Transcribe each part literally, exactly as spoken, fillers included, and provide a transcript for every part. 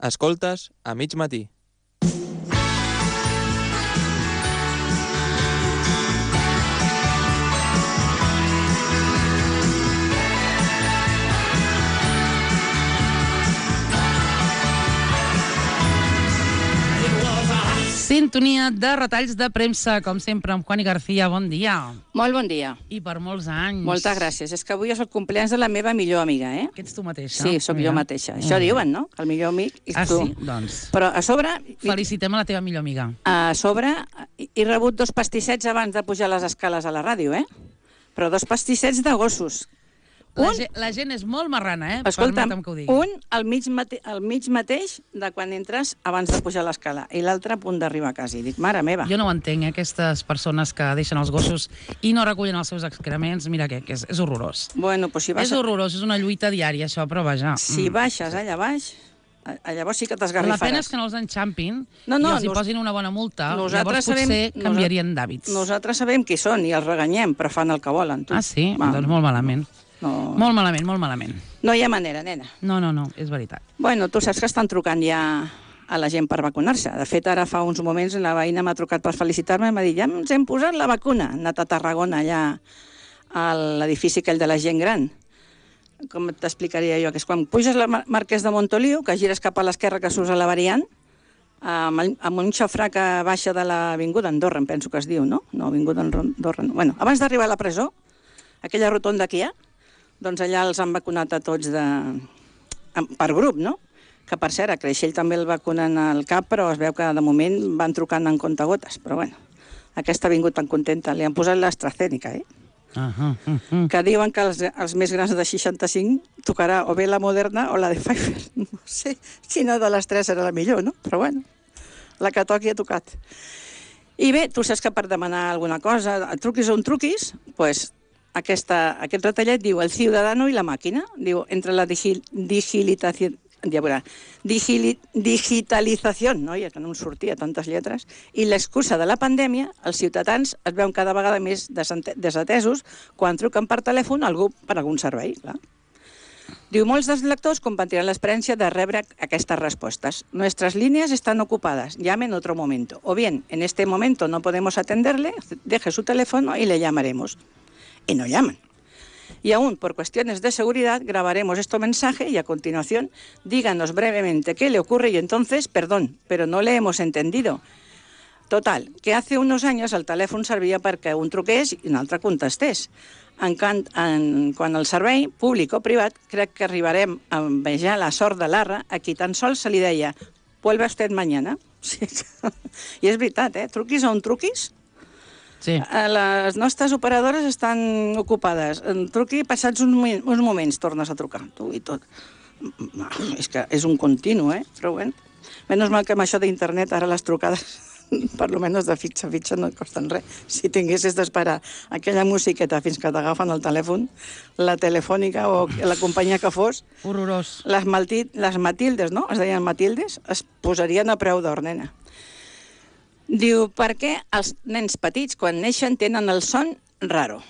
Escoltes a mig matí. Sintonia de retalls de premsa, com sempre, amb Juani García. Bon dia. Molt bon dia. I per molts anys. Moltes gràcies. És que avui és el compleanys de la meva millor amiga, eh? Que ets tu mateixa. Sí, sóc Mira. jo mateixa. Això Mm. diuen, no? El millor amic és Ah, tu. sí? Doncs Però a sobre... felicitem a la teva millor amiga. A sobre he rebut dos pastissets abans de pujar les escales a la ràdio, eh? Però dos pastissets de gossos. La, Un, gent, la gent és molt marrana, eh? escolta'm, Permetem que ho digui. un al mig, mate, al mig mateix de quan entres abans de pujar l'escala i l'altre a punt d'arribar a casa. I dic, mare meva. Jo no ho entenc, eh? Aquestes persones que deixen els gossos i no recullen els seus excrements. Mira què, que és, és horrorós. Bueno, doncs si, vas És horrorós, és una lluita diària, això, però vaja. si mm. baixes allà baix, a- llavors sí que La t'esgarrifaràs. pena és que no els enxampin No, no, i els hi nos- posin una bona multa. nosaltres Llavors potser sabem- canviarien d'hàbits. Nosaltres sabem qui són i els reganyem, però fan el que volen. Tu. Ah, sí? Va, Doncs molt malament. No, Molt malament, molt malament. no hi ha manera, nena. No, no, no, és veritat. Bueno, tu saps que estan trucant ja a la gent per vacunar-se. De fet, ara fa uns moments la veïna m'ha trucat per felicitar-me i m'ha dit, ja ens hem posat la vacuna. Han anat a Tarragona, allà a l'edifici aquell de la gent gran. Com t'explicaria jo? Que és quan puges la Mar- Marquès de Montoliu, que gires cap a l'esquerra, que surts a la variant, amb, el- amb un xofrà que baixa de l'avinguda Andorra, em penso que es diu, no? No, avinguda Andorra. No. Bueno, abans d'arribar a la presó, aquella rotonda que hi ha, doncs allà els han vacunat a tots de... per grup, no? Que, per cert, a Creixell també el vacunen al cap, però es veu que de moment van trucant en comptagotes. Però bueno, aquesta ha vingut tan contenta. Li han posat l'AstraZeneca, eh? Uh -huh, uh -huh. Que diuen que els, els més grans de seixanta-cinc tocarà o bé la Moderna o la de Pfizer. No sé quina de les tres serà la millor, no? Però bueno, la que toqui ha tocat. I bé, tu saps que per demanar alguna cosa, truquis on truquis, doncs aquesta, aquest retallet diu el ciudadano i la màquina, diu entre la digi, digilitació, ja veurà, digili, digitalització, no? Ja que no em sortia tantes lletres, i l'excusa de la pandèmia, els ciutadans es veuen cada vegada més desate- desatesos quan truquen per telèfon a algú per algun servei, clar. Diu, molts dels lectors compartiran l'experiència de rebre aquestes respuestas. Nuestras líneas están ocupadas, llame en otro momento. O bien, en este momento no podemos atenderle, deje su teléfono y le llamaremos. Y no llaman. Y aún, por cuestiones de seguridad, grabaremos este mensaje y a continuación díganos brevemente qué le ocurre y entonces, perdón, pero no le hemos entendido. Total, que hace unos años el telèfon servia perquè un truqués i un altre contestés. En, can, en, quan el servei, públic o privat, crec que arribarem a envejar la sort de l'Arra a qui tan sols se li deia «Vuelve usted mañana». Sí. I és veritat, eh? Truquis on truquis, Sí. les nostres operadores estan ocupades. Truqui passats uns, mo- uns moments, tornes a trucar, tu i tot. És que és un continu, eh? Però bueno, menys mal que amb això d'internet ara les trucades per lo menos de fitxa a fitxa no et costen res. Si tinguessis d'esperar aquella musiqueta fins que t'agafen el telèfon, la telefònica o la companyia que fos, Horrorós. les, Malti, les Matildes, no? Es deien Matildes, es posarien a preu d'or, nena. Diu, per què els nens petits, quan neixen, tenen el son raro?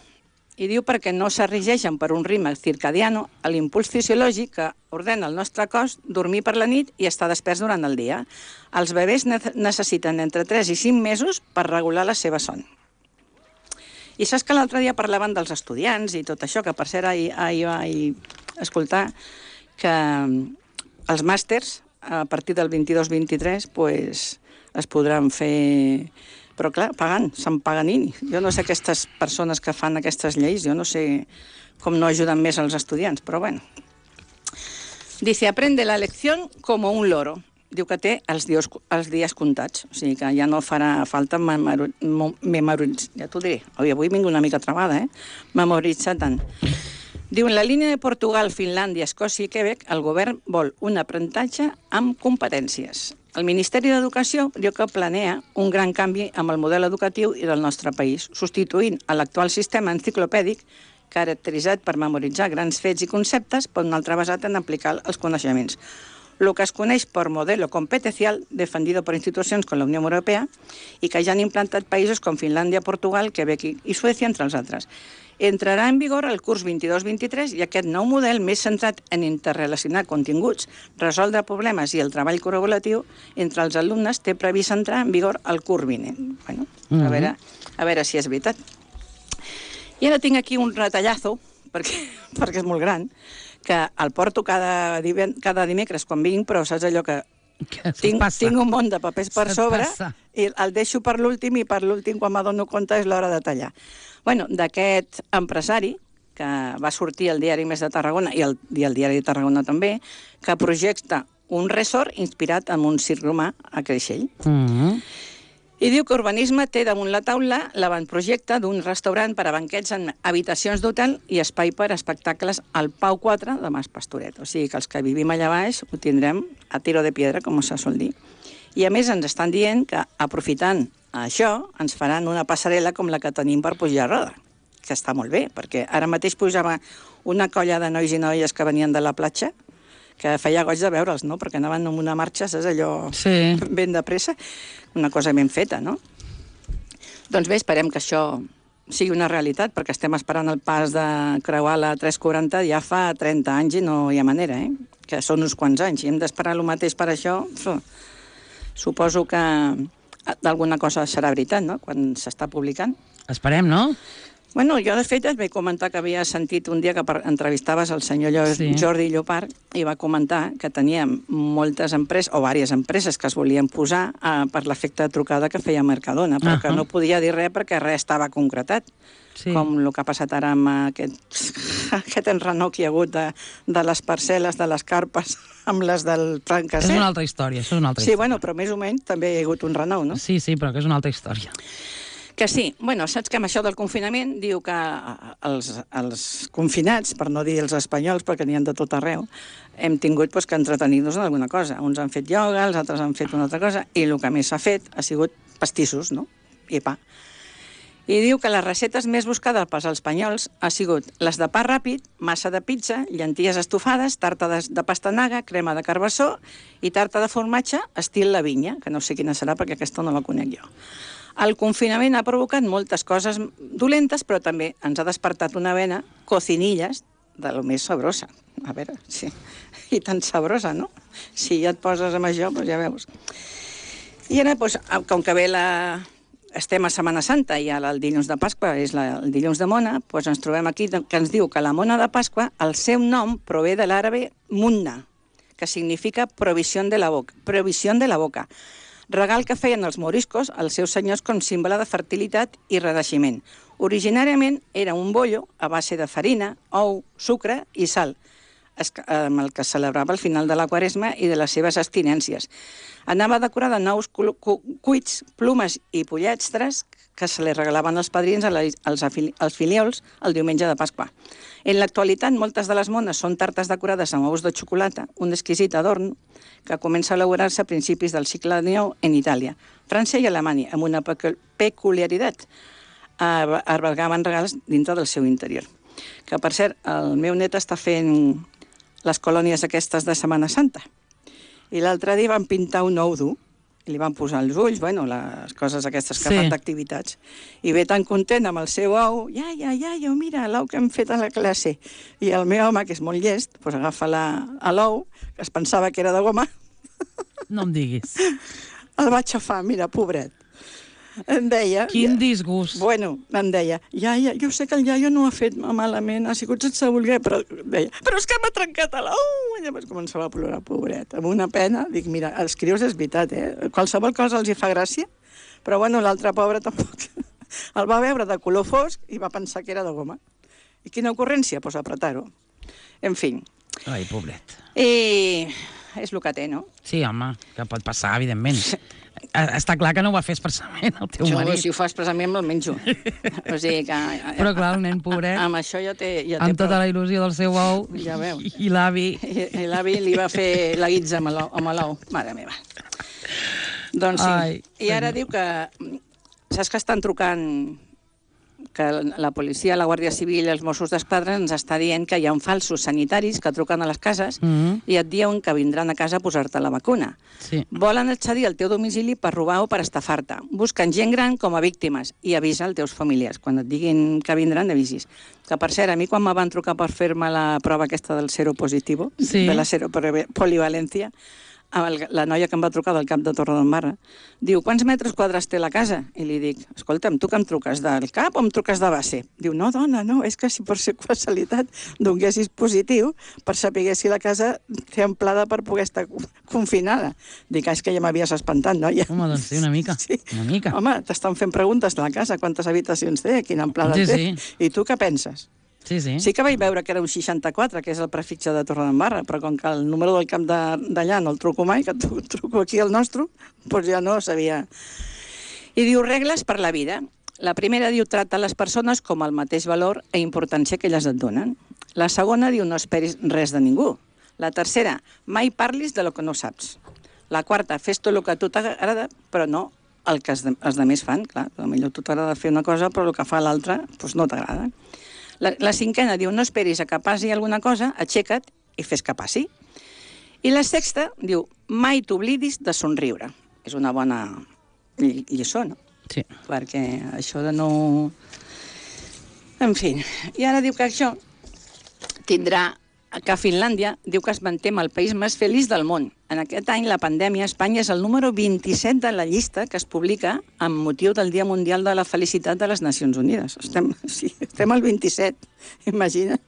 I diu perquè no s'arregeixen per un ritme circadiano a l'impuls fisiològic que ordena el nostre cos dormir per la nit i estar desperts durant el dia. Els bebès ne necessiten entre tres i cinc mesos per regular la seva son. I saps que l'altre dia parlaven dels estudiants i tot això, que per cert ahir, ahir vaig escoltar que els màsters a partir del vint-i-dos vint-i-tres pues, es podran fer... Però clar, pagant, Sant Paganini. Jo no sé aquestes persones que fan aquestes lleis, jo no sé com no ajuden més als estudiants, però bueno. Dice, aprende la lección como un loro. Diu que té els dies, els dies comptats, o sigui que ja no farà falta memoritzar. Ja t'ho diré, avui, avui vinc una mica travada, eh? Memoritzar tant. Diu, en la línia de Portugal, Finlàndia, Escòcia i Quebec, el govern vol un aprenentatge amb competències. El Ministeri d'Educació diu que planea un gran canvi amb el model educatiu i del nostre país, substituint l'actual sistema enciclopèdic caracteritzat per memoritzar grans fets i conceptes per un altre basat en aplicar els coneixements. lo que es coneix per modelo competencial defendido por institucions com la Unió Europea i que ja han implantat països com Finlàndia, Portugal, Quebec i Suècia, entre els altres. Entrarà en vigor el curs vint-i-dos vint-i-tres i aquest nou model, més centrat en interrelacionar continguts, resoldre problemes i el treball col·laboratiu entre els alumnes, té previst entrar en vigor el curs vinent. Bueno, a veure, a veure si és veritat. I ara tinc aquí un retallazo, perquè, perquè és molt gran, que el porto cada, diven, cada dimecres quan vinc, però saps allò que tinc, tinc un munt de papers per sobre i el deixo per l'últim i per l'últim, quan m'adono compte, és l'hora de tallar. Bueno, d'aquest empresari, que va sortir al Diari Més de Tarragona i el, i el Diari de Tarragona també, que projecta un resort inspirat en un circ romà a Creixell. Mm-hmm. I diu que Urbanisme té damunt la taula l'avantprojecte d'un restaurant per a banquets en habitacions d'hotel i espai per a espectacles al Pau quatre de Mas Pastoret. O sigui que els que vivim allà baix ho tindrem a tiro de piedra, com se sol dir. I a més ens estan dient que, aprofitant això, ens faran una passarel·la com la que tenim per pujar a Roda, que està molt bé, perquè ara mateix pujava una colla de nois i noies que venien de la platja, que feia goig de veure'ls, no?, perquè anaven en una marxa, saps, allò sí. ben de pressa, una cosa ben feta, no? Doncs bé, esperem que això sigui una realitat, perquè estem esperant el pas de creuar la tres quaranta ja fa trenta anys i no hi ha manera, eh? Que són uns quants anys, i hem d'esperar el mateix per això. Suposo que d'alguna cosa serà veritat, no?, quan s'està publicant. Esperem, no? Bueno, jo, de fet, et vaig comentar que havia sentit un dia que entrevistaves el senyor sí. Jordi Llopart i va comentar que tenia moltes empreses, o diverses empreses, que es volien posar eh, per l'efecte de trucada que feia Mercadona, però uh -huh. que no podia dir res perquè res estava concretat. Sí. Com el que ha passat ara amb aquest, aquest enrenou que hi ha hagut de, de les parcel·les, de les carpes, amb les del Trancasset. És una altra història, això és una altra sí, història. Bueno, però més o menys també hi ha hagut un renou, no? Sí, sí, però que és una altra història. Que sí. Bueno, saps que amb això del confinament diu que els, els confinats, per no dir els espanyols, perquè n'hi ha de tot arreu, hem tingut pues, que entretenir-nos en alguna cosa. Uns han fet ioga, els altres han fet una altra cosa, i el que més s'ha fet ha sigut pastissos, no?, i pa. I diu que les receptes més buscades pels espanyols ha sigut les de pa ràpid, massa de pizza, llenties estofades, tarta de, de pastanaga, crema de carbassó i tarta de formatge estil la vinya, que no sé quina serà perquè aquesta no la conec jo. El confinament ha provocat moltes coses dolentes, però també ens ha despertat una vena, cocinilles, de lo més sabrosa. A veure, sí, i tan sabrosa, no? Si ja et poses amb això, doncs ja veus. I ara, doncs, com que ve la... estem a Setmana Santa i el dilluns de Pasqua és la, el dilluns de Mona, doncs ens trobem aquí que ens diu que la Mona de Pasqua, el seu nom prové de l'àrabe munna, que significa provisió de la boca. Provisió de la boca. Regal que feien els moriscos als seus senyors com símbole de fertilitat i renaixement. Originàriament era un bollo a base de farina, ou, sucre i sal, amb el que celebrava el final de la Quaresma i de les seves abstinències. Anava decorada de nous cuits, plumes i pollastres que se li regalaven els padrins als, als filiols el diumenge de Pasqua. En l'actualitat, moltes de les mones són tartes decorades amb ous de xocolata, un exquisit adorn que comença a elaborar-se a principis del segle dinou en Itàlia, França i Alemanya, amb una peculiaritat. Albergaven regals dintre del seu interior. Que, per cert, el meu net està fent les colònies aquestes de Setmana Santa. I l'altre dia van pintar un ou dur, i li van posar els ulls, bueno, les coses aquestes que sí. fan d'activitats. I ve tan content amb el seu ou, ja, ja, ja, jo, mira, l'ou que hem fet a la classe. I el meu home, que és molt llest, doncs agafa l'ou, que es pensava que era de goma. No em diguis. El va aixafar, mira, pobret. Em deia... Quin disgust. Bueno, em deia, iaia, jo sé que el iaio no ho ha fet malament, ha sigut sense voler, però deia, però és que m'ha trencat l'ou! I llavors començava a plorar, pobret, amb una pena. Dic, mira, els crios és veritat, eh? Qualsevol cosa els hi fa gràcia, però bueno, l'altre pobre tampoc. El va veure de color fosc i va pensar que era de goma. I quina ocurrència? Doncs pues apretar-ho. En fi. Ai, pobret. I és el que té, no? Sí, home, que pot passar, evidentment. Està clar que no ho va fer expressament, el teu jo, marit. Si ho fa expressament, me'l menjo. O sigui que... Però clar, el nen pobret... Amb això ja té... Ja té amb tota la il·lusió del seu ou, ja veus. I l'avi... I, i l'avi li va fer la guitza amb l'ou. Mare meva. Doncs sí. Ai, I ara senyor. Diu que... Saps que estan trucant que la policia, la Guàrdia Civil i els Mossos d'Esquadra ens està dient que hi ha falsos sanitaris que truquen a les cases mm -hmm. i et diuen que vindran a casa a posar-te la vacuna. Sí. Volen accedir al teu domicili per robar o per estafar-te. Busquen gent gran com a víctimes i avisa als teus familiars. Quan et diguin que vindran, avisis. Que, per cert, a mi quan me van trucar per fer-me la prova aquesta del seropositiu, sí. de la seropolivalència, la noia que em va trucar del cap de Torredembarra, diu, quants metres quadrats té la casa? I li dic, escolta'm, tu que em truques del cap o em truques de base? Diu, no, dona, no, és que si per ser casualitat donessis positiu per saber si la casa té amplada per poder estar confinada. Dic, és que ja m'havies espantat, noia. Home, doncs sí, una mica, sí. una mica. Home, t'estan fent preguntes de la casa, quantes habitacions té, quina amplada sí, té, sí. I tu què penses? Sí, sí. Sí que vaig veure que era un seixanta-quatre, que és el prefixe de Torredembarra, però com que el número del camp d'allà no el truco mai, que truco aquí el nostre, doncs ja no sabia. I diu, regles per la vida. La primera diu, tracta les persones com el mateix valor i importància que elles et donen. La segona diu, no esperis res de ningú. La tercera, mai parlis de lo que no saps. La quarta, fes tot el que a tu t'agrada, però no el que els altres fan. Clar, potser a tu t'agrada fer una cosa, però el que fa l'altra doncs no t'agrada. La, la cinquena diu, no esperis a que passi alguna cosa, aixeca't i fes que passi. I la sexta diu, mai t'oblidis de somriure. És una bona lliçó, no? Sí. Perquè això de no... En fi, i ara diu que això tindrà que a Finlàndia diu que es manté amb el país més feliç del món. En aquest any, la pandèmia, Espanya és el número vint-i-set de la llista que es publica amb motiu del Dia Mundial de la Felicitat de les Nacions Unides. Estem, sí, estem al vint-i-set, imagina.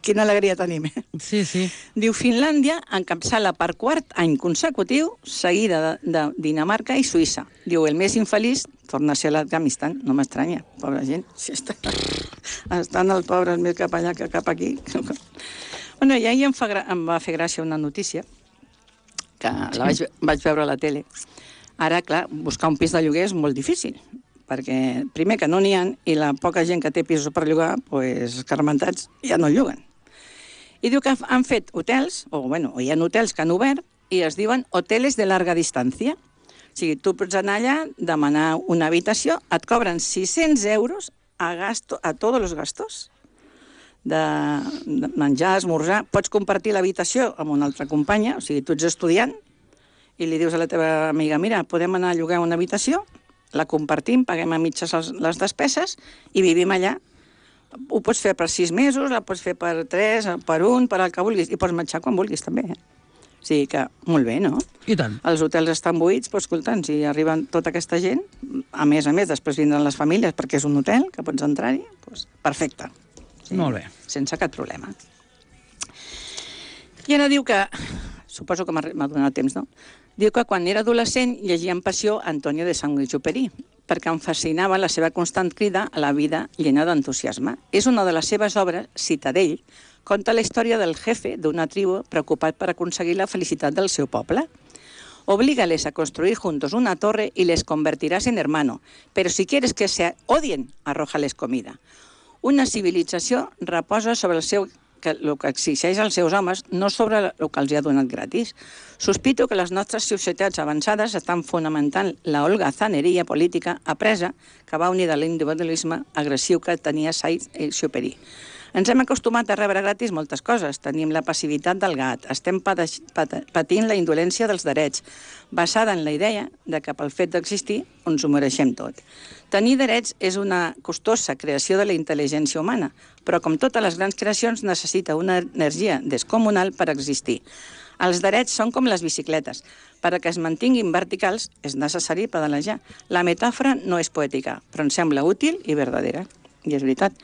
Quina alegria tenim, eh? Sí, sí. Diu, Finlàndia encapçala per quart any consecutiu, seguida de, de Dinamarca i Suïssa. Diu, el més infeliç torna a ser l'Afganistan. No m'estranya, pobra gent. Si està, estan els pobres més cap allà que cap aquí. Bueno, i ahir em, fa, em va fer gràcia una notícia, que la vaig, vaig veure a la tele. Ara, clar, buscar un pis de lloguer és molt difícil, perquè primer que no n'hi ha, i la poca gent que té pisos per llogar, doncs, escarmentats, ja no lloguen. I diu que han fet hotels, o bueno, hi ha hotels que han obert, i es diuen hoteles de larga distància. O sigui, tu pots anar allà, demanar una habitació, et cobren sis-cents euros a, gasto, a tots els gastos, de menjar, esmorzar. Pots compartir l'habitació amb una altra companya, o sigui, tu ets estudiant, i li dius a la teva amiga, mira, podem anar a llogar una habitació, la compartim, paguem a mitges les despeses i vivim allà. Ho pots fer per sis mesos, la pots fer per tres, per un, per el que vulguis, i pots marxar quan vulguis, també. Eh? O sigui que, molt bé, no? I tant. Els hotels estan buits, però escolta'm, si arriben tota aquesta gent, a més a més, després vindran les famílies, perquè és un hotel, que pots entrar-hi, doncs perfecte. Sí, molt bé. Sense cap problema. I ara diu que, suposo que m'ha donat temps, no? Diu que quan era adolescent llegia amb passió Antonio de Saint-Exupéry, perquè em fascinava la seva constant crida a la vida llena d'entusiasme. És una de les seves obres, Citadell, conta la història del jefe d'una tribu preocupat per aconseguir la felicitat del seu poble. Oblígales a construir juntos una torre y les convertirás en hermano, pero si quieres que se odien, arrójales comida. Una civilització reposa sobre el seu que el que exigeix als seus homes, no sobre el que els ha donat gratis. Sospito que les nostres societats avançades estan fonamentant la holgazaneria política apresa que va unir de l'individualisme agressiu que tenia Saint-Exupéry. Ens hem acostumat a rebre gratis moltes coses. Tenim la passivitat del gat, estem patint la indolència dels drets, basada en la idea de que pel fet d'existir ens ho mereixem tot. Tenir drets és una costosa creació de la intel·ligència humana, però com totes les grans creacions necessita una energia descomunal per existir. Els drets són com les bicicletes. Per a que es mantinguin verticals és necessari pedalejar. La metàfora no és poètica, però em sembla útil i verdadera. I és veritat.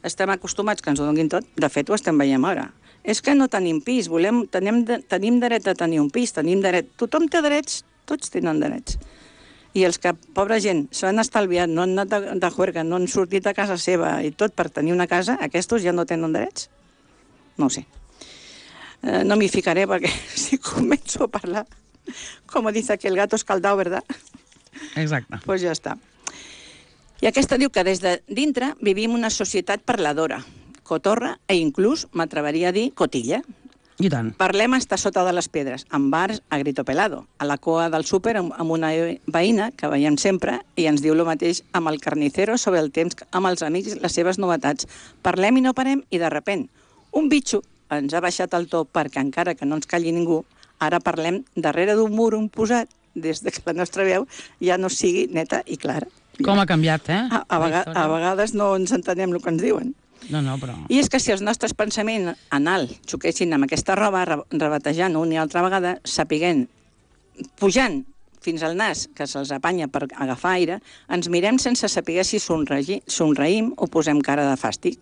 Estem acostumats que ens ho donin tot. De fet, ho estem veient ara. És que no tenim pis, volem, tenim, tenim dret a tenir un pis, tenim dret... Tothom té drets, tots tenen drets. I els que, pobra gent, s'han estalviat, no han anat de, de juerga, no han sortit a casa seva i tot per tenir una casa, aquests ja no tenen drets? No ho sé. Eh, no m'hi ficaré perquè si començo a parlar, com dice que el gato escaldado, ¿verdad? Exacte. Pues ja està. I aquesta diu que des de dintre vivim una societat parladora, cotorra e inclús, m'atreveria a dir, cotilla. I tant. Parlem estar sota de les pedres, en bars a grito pelado, a la coa del súper amb amb una veïna que veiem sempre i ens diu el mateix amb el carnicero sobre el temps amb els amics, les seves novetats. Parlem i no parem i de repent un bitxo ens ha baixat el to perquè encara que no ens calli ningú, ara parlem darrere d'un mur un posat des de que la nostra veu ja no sigui neta i clara. Com ha canviat, eh? A, a, vega, a vegades no ens entenem el que ens diuen. No, no, però... I és que si els nostres pensaments en alt xoquessin amb aquesta roba, re rebatejant una i altra vegada, sapiguent, pujant fins al nas, que se'ls apanya per agafar aire, ens mirem sense saber si somreïm o posem cara de fàstic.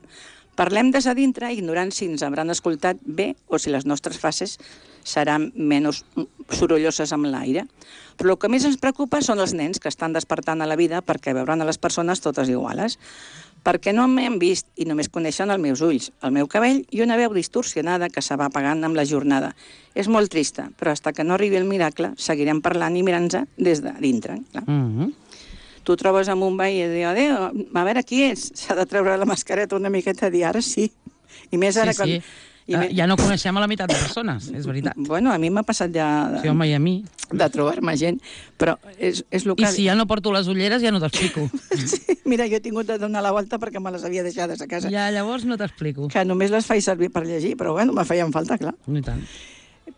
Parlem des de dintre, ignorant si ens hauran escoltat bé o si les nostres frases seran menys sorolloses amb l'aire. Però el que més ens preocupa són els nens que estan despertant a la vida perquè veuran a les persones totes iguales. Perquè no m'han vist i només coneixen els meus ulls, el meu cabell i una veu distorsionada que se va apagant amb la jornada. És molt trista, però fins que no arribi el miracle seguirem parlant i mirant-nos des de dintre. Clar. Mm -hmm. Tu trobes amb un veí i diu, adéu, a veure qui és. S'ha de treure la mascareta una miqueta i dir, ara sí. I més ara sí, quan... sí. I Uh, me... ja no coneixem a la meitat de persones, és veritat. Bueno, a mi m'ha passat ja de, Sí, home, i a mi. de trobar-me gent, però és, és el que... I si ja no porto les ulleres, ja no t'explico. Sí, mira, jo he tingut de donar la volta perquè me les havia deixades a casa. Ja, llavors no t'explico. Que només les faig servir per llegir, però bueno, me feien falta, clar. I tant.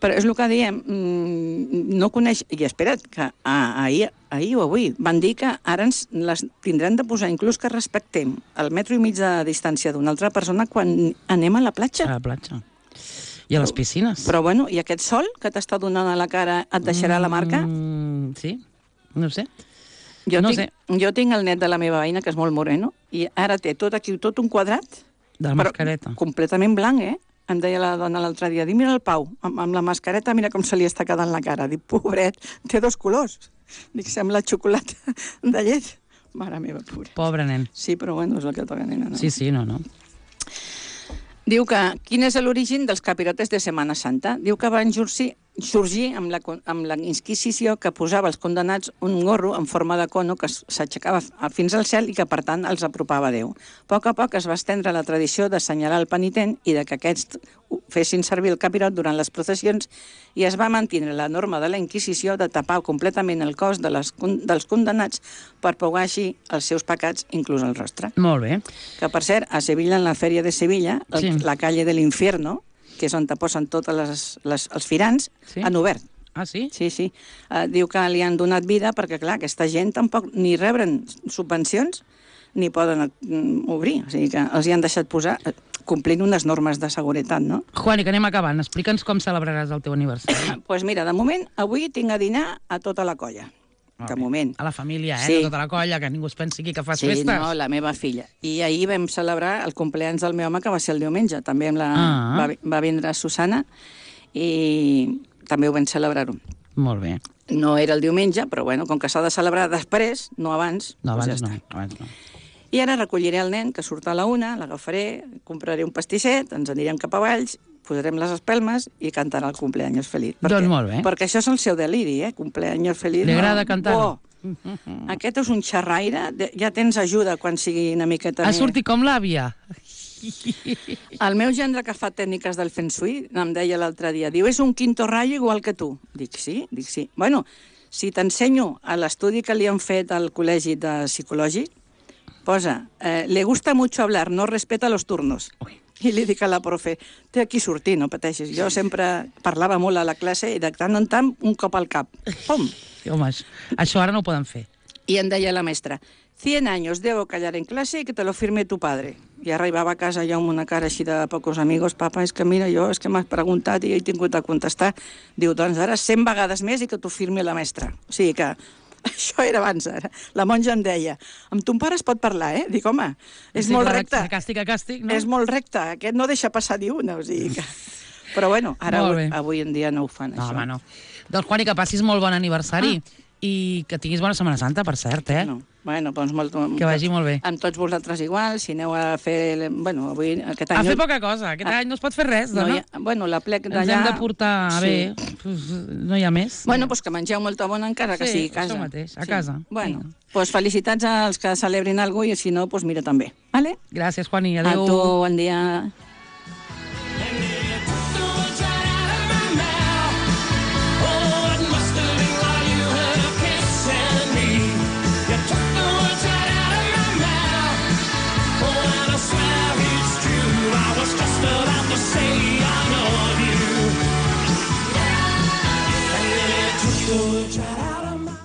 Però és el que diem, mmm, no coneix... I espera't, que ah, ahir, ahir o avui van dir que ara ens les tindrem de posar, inclús que respectem el metro i mig de distància d'una altra persona quan anem a la platja. A la platja. I a les piscines. Però bueno, i aquest sol que t'està donant a la cara et deixarà mm, la marca? Sí, no sé. Jo, no tinc, sé. jo tinc el net de la meva veïna, que és molt moreno, i ara té tot aquí, tot un quadrat, De la mascareta. completament blanc, eh? Em deia la dona l'altre dia, dic, mira el Pau, amb, amb la mascareta, mira com se li està quedant la cara. Dic, pobret, té dos colors. Dic, sembla xocolata de llet. Mare meva, pobret. Pobre nen. Sí, però bueno, és el que toca, nena. No? Sí, sí, no, no. Diu que, quin és l'origen dels capirotes de Setmana Santa? Diu que van sorgir, sorgir amb, la, amb la Inquisició que posava als condenats un gorro en forma de cono que s'aixecava fins al cel i que, per tant, els apropava a Déu. A poc a poc es va estendre la tradició d'assenyalar el penitent i de que aquests fessin servir el capirot durant les processions i es va mantenir la norma de la Inquisició de tapar completament el cos de les, dels condenats per pagar així els seus pecats, inclús el rostre. Molt bé. Que, per cert, a Sevilla, en la Fèria de Sevilla, Sí. la calle de l'Infierno, que és on te posen tots les, les, els firans, Sí? han obert. Ah, sí? Sí, sí. Uh, diu que li han donat vida perquè, clar, aquesta gent tampoc ni rebren subvencions ni poden mm, obrir. O sigui que els hi han deixat posar, eh, complint unes normes de seguretat, no? Juani, que anem acabant. Explica'ns com celebraràs el teu aniversari. Doncs pues mira, de moment, avui tinc a dinar a tota la colla. De moment. A la família, eh? Sí. De tota la colla, que ningú es pensi aquí que fas Sí, festes. no, la meva filla. I ahir vam celebrar el compleanys del meu home, que va ser el diumenge. També amb la, Ah. va, va vindre Susana i també ho vam celebrar-ho. Molt bé. No era el diumenge, però bueno, com que s'ha de celebrar després, no abans, No, doncs abans ja no. està. Abans no. I ara recolliré el nen, que surt a la una, l'agafaré, compraré un pastisset, ens anirem cap a Valls, posarem les espelmes i cantarà el cumpleaños feliz. Doncs molt bé. Perquè això és el seu deliri, eh? Cumpleaños feliz. Li no? agrada cantar? Oh, aquest és un xerraire, de- ja tens ajuda quan sigui una miqueta Ha més... sortit com l'àvia. El meu gendre, que fa tècniques del Feng Shui, em deia l'altre dia, diu, és un quinto rayo igual que tu. Dic, sí? Dic, sí. Bueno, si t'ensenyo a l'estudi que li han fet al col·legi de psicològic, posa, eh, le gusta mucho hablar, no respeta los turnos. Ui. I li dic a la profe, té aquí sortir, no pateixis. Jo sempre parlava molt a la classe i de tant en tant un cop al cap. Pum! Sí, home, això- això ara no ho poden fer. I em deia la mestra, cien años debo callar en clase y que te lo firme tu padre. I arribava a casa ja amb una cara així de pocos amigos, papa, és que mira, jo és que m'has preguntat i he tingut de contestar. Diu, doncs ara cent vegades més i que t'ho firmi la mestra. O sigui que això era abans, ara. La monja em deia, amb ton pare es pot parlar, eh? Dic, home, és Sí, molt clar, recte. De càstig a càstig, no? És molt recte, aquest no deixa passar ni una, o sigui que... Però bueno, ara Molt avui, bé. avui en dia no ho fan, No, això. home, no. Doncs, Juani, que passis molt bon aniversari i que tinguis bona Setmana Santa, per cert, eh? No. Bueno, doncs molt... Que vagi molt bé. Amb tots vosaltres igual, si aneu a fer... Bueno, avui, aquest any... A fer poca cosa. Aquest any no es pot fer res, no dona. hi ha, bueno, la plec Ens d'allà... hem de portar Sí. bé. Pues, no hi ha més. Bueno, doncs que mengeu molta bona encara que Sí, sigui a casa. això mateix, a casa. Bueno, Vinga. doncs felicitats als que celebrin alguna cosa i si no, doncs mira també. Vale? Gràcies, Juani. A Adéu. tu, bon dia.